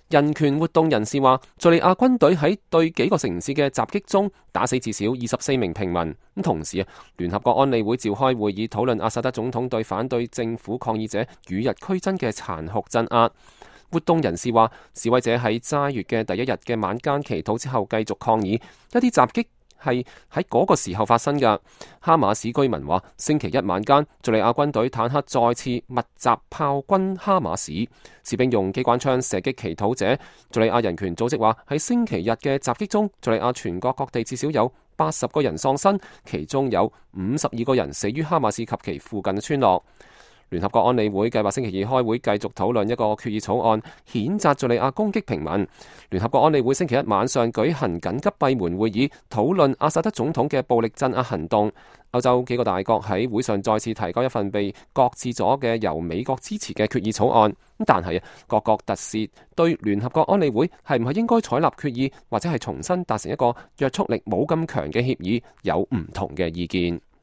人權活動人士話，敘利亞軍隊喺對幾個城市嘅襲擊中打死至少24名平民。同時聯合國安理會召開會議討論阿薩德總統對反對政府抗議者與日俱增嘅殘酷鎮壓。活動人士話，示威者喺齋月嘅第一日嘅晚間祈禱之後繼續抗議，一啲襲擊係喺嗰個時候發生嘅。哈馬斯居民話，星期一晚間，敘利亞軍隊坦克再次密集炮轟哈馬斯，士兵用機關槍射擊祈禱者。敘利亞人權組織話，喺星期日嘅襲擊中，敘利亞全國各地至少有80個人喪生，其中有52個人死於哈馬斯及其附近嘅村落。聯合國安理會計劃星期二開會繼續討論一個決議草案，譴責敘利亞攻擊平民。聯合國安理會星期一晚上舉行緊急閉門會議，討論阿薩德總統嘅暴力鎮壓行動。歐洲幾個大國喺會上再次提交一份被擱置咗嘅由美國支持嘅決議草案。但係各國特使對聯合國安理會係唔係應該採納決議，或者係重新達成一個約束力冇咁強嘅協議，有唔同嘅意見。